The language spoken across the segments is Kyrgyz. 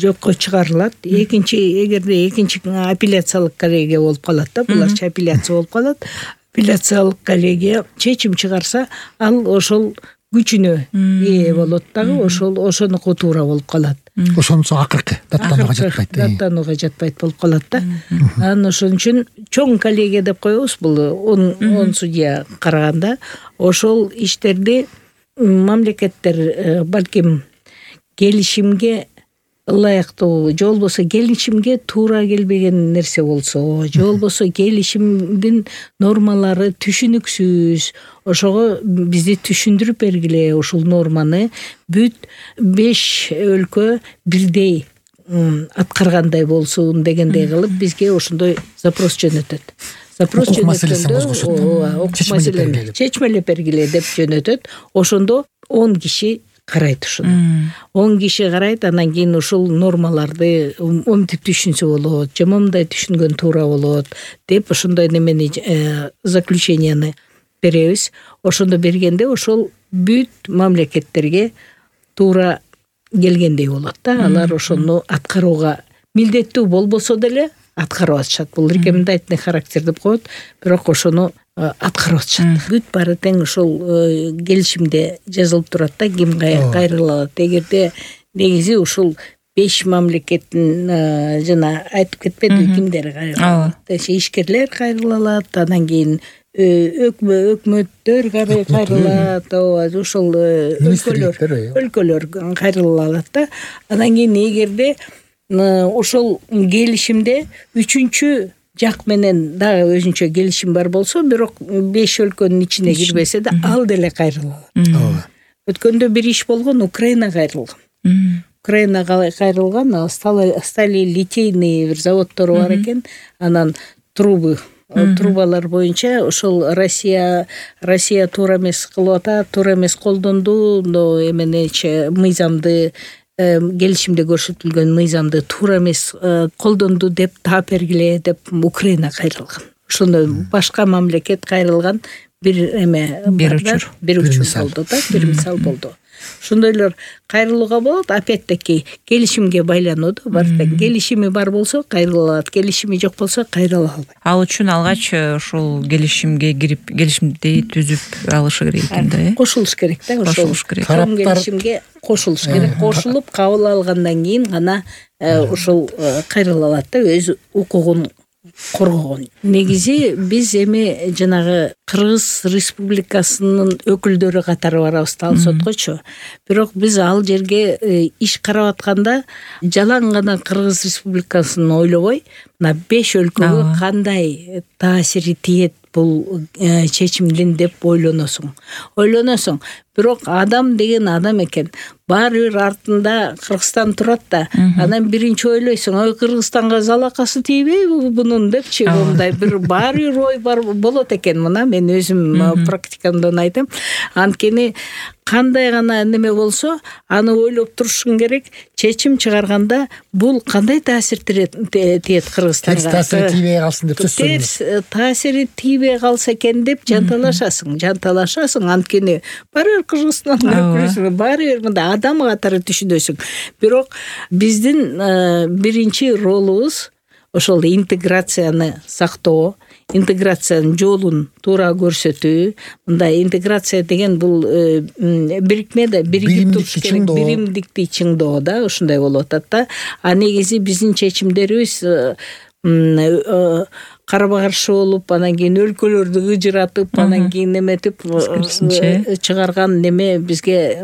жокко чыгарылат. Эгерде экинчи апелляциялык коллегия болуп калат да, буларчы апелляция болуп калат. Апелляциялык коллегия чечим чыгарса, ал ошол күчүнө ээ болот дагы, ошонуку туура болуп калат. Ошонусу акыркы даттанууга жатпайт болуп калат да. Анан ошон үчүн чоң коллегия деп коебуз, бул 10 судья караганда. Ошол иштерди мамлекеттер балким келишимге ылайыктуу, же болбосо келишимге туура келбеген нерсе болсо, же болбосо келишимдин нормалары түшүнүксүз, ошого бизди түшүндүрүп бергиле, ушул норманы бүт 5 өлкө бирдей аткаргандай болсун дегендей кылып бизге ошондой запрос жөнөтөт. Запрос жөнөткөндө маселени чечмелеп бергиле деп жөнөтөт. Ошондо 10 киши карайт ушуну. 10 киши карайт, анан кийин ушул нормаларды омтип түшүнсө болот, же момундай түшүнгөн туура болот деп ошондой немени заключенияны беребиз. Ошондо бергенде ошол бүт мамлекеттерге туура келгендей болот да. Алар ошону аткарууга милдеттүү болбосо деле аткарып атышат. Бул рекомендательный характер деп коет, бирок ошону аткарып атышат. Бүт баары тең ошол келишимде жазылып турат да, ким кайрыла алат. Эгерде негизи ушул 5 мамлекеттин жана айтып кетпедиби кимдер кайрыла алат? Ишкерлер кайрыла алат, анан кийин өкмөттөр кайрыла алат, ошол өлкөлөр кайрыла алат да. Анан кийин эгерде ошол келишимде 3-чү жак менен дагы өзүнчө келишим бар болсо, бирок 5 өлкөнүн ичине кирбесе да, ал деле кайрыла алат. Өткөндө бир иш болгон, Украина кайрылган. Украина кайрылган, стали литейный бир заводдору бар экен. Анан трубалар боюнча ошол Россия туура эмес кылып атат, туура эмес колдонду, эменечи мыйзамды, келишимде көрсөтүлгөн мыйзамды туура эмес колдонду деп таап бергиле деп Украина кайрылган. Ошондо башка мамлекет кайрылган бир учур болду да, бир мисал болду. Ошондойлор кайрылууга болот. Опять-таки келишимге байлануу бар. Келишими бар болсо кайрыла алат, келишими жок болсо кайрыла албайт. Ал үчүн алгач ушул келишимге кирип, келишимди түзүп алышы керек экен да, кошулуш керек да, ошол келишимге кошулуш керек. Кошулуп кабыл алгандан кийин гана ушул кайрыла алат да, өз укугун коргогон. Негизи биз эми жанагы Кыргыз Республикасынын өкүлдөрү катары барабыз да, ал соткочу. Бирок биз ал жерге иш карап атканда жалаң гана Кыргыз Республикасын ойлобой, мына 5 өлкөгө кандай таасири тиет бул чечимдин деп ойлоносуң. Бирок адам деген адам экен. Баары бир артында Кыргызстан турат да, анан биринчи ойлойсуң, ой, Кыргызстанга залакасы тийбейби бунун депчи, мындай бир баары бир ой бар болот экен. Мына мен өзүм практикамдан айтам. Анткени кандай гана неме болсо, аны ойлоп турушуң керек. Чечим чыгарганда бул кандай таасир тиет Кыргызстанга? Таасири тийбей калсын деп сөзсүз. Таасири тийбей калса экен деп жанталашасың. Анткени баары Кыргызстандын өкүлүсүң, баары мындай адам катары түшүнөсүң. Бирок биздин биринчи ролубуз ошол интеграцияны сактоо, интеграциянын жолун туура көрсөтүү. Мындай интеграция деген бул бирикме да, биригип туруш керек, биримдикти чыңдоо да, ушундай болуп атат да. А негизи биздин чечимдерибиз карама каршы болуп, анан кийин өлкөлөрдү ыжыратып, анан кийин эметип чыгарган неме бизге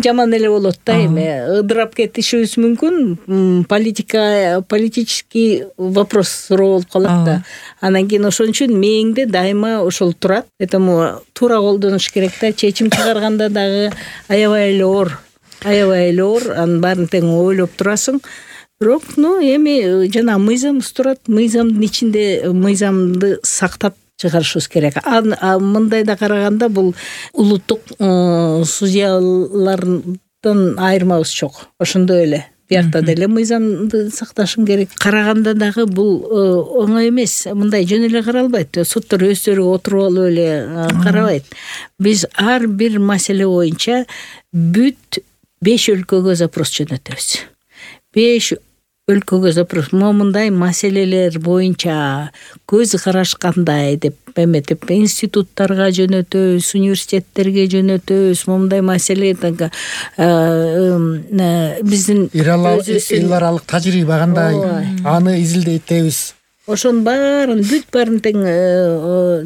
жаман эле болот да. Эми ыдырап кетишибиз мүмкүн, политический вопрос суроо болуп калат да. Анан кийин ошон үчүн мээңде дайыма ошол турат. Этому туура колдонуш керек да. Чечим чыгарганда дагы аябай эле оор, анын баарын тең ойлоп турасың. Бирок, эми жана мыйзамыбыз турат, мыйзамдын ичинде мыйзамды сактап чыгарышыбыз керек. Мындайда караганда бул улуттук судьялардан айырмабыз жок. Ошондой эле. Биякта деле мыйзамды сакташың керек. Караганда дагы бул оңой эмес. Мындай жөн эле каралбайт. Соттор өздөрү отуруп алып эле карабайт. Биз ар бир маселе боюнча бүт 5 өлкөгө запрос жөнөтөбүз. 5 өлкөгө запрос момундай маселелер боюнча көз караш кандай деп эметип институттарга жөнөтөбүз, университеттерге жөнөтөбүз. Момундай маселе биздин эл аралык тажрыйба кандай, аны изилдетебиз. Ошонун баарын бүт баарын тең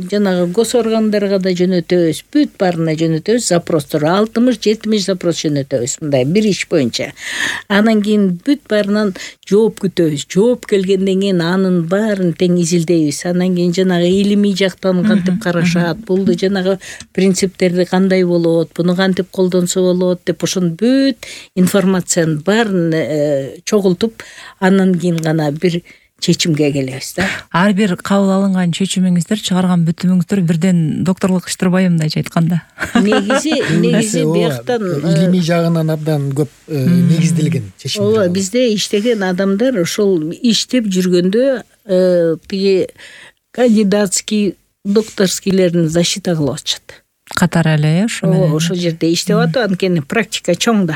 жанагы гос органдарга да жөнөтөбүз, бүт баарына жөнөтөбүз запростор. 60-70 запрос жөнөтөбүз мындай бир иш боюнча. Анан кийин бүт баарынан жооп күтөбүз. Жооп келгенден кийин анын баарын тең изилдейбиз. Анан кийин жанагы илимий жактан кантип карашат, бул жанагы принциптерди кандай болот, буну кантип колдонсо болот деп ошонун бүт информациянын баарын чогултуп, анан кийин гана бир чечимге келебиз да. Ар бир кабыл алынган чечимиңиздер, чыгарган бүтүмүңүздөр бирден докторлук иштурбайбы мындайча айтканда? Негизи бияктан илимий жагынан абдан көп негизделген чечим. Ооба, бизде иштеген адамдар ошол иштеп жүргөндө тиги кандидатский, докторскийлерин защита кылып атышат. Катары эле ошо менен. Ошол жерде иштеп атып, анткени практика чоң да.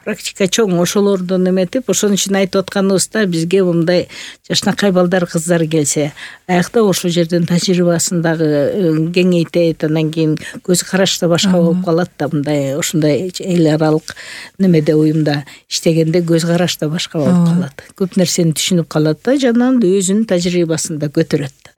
Практика чоң, ошолордон эметип, ошон үчүн айтып атканыбызда бизге мындай жашнакай балдар, кыздар келсе, аякта ошол жерден тажрыйбасын дагы кеңейтет, анан кийин көз караш да башка болуп калат да, мындай ошондой эл аралык немеде уюмда иштегенде көз караш да башка болуп калат. Көп нерсени түшүнүп калат да, жанагы өзүнүн тажрыйбасын да көтөрөт.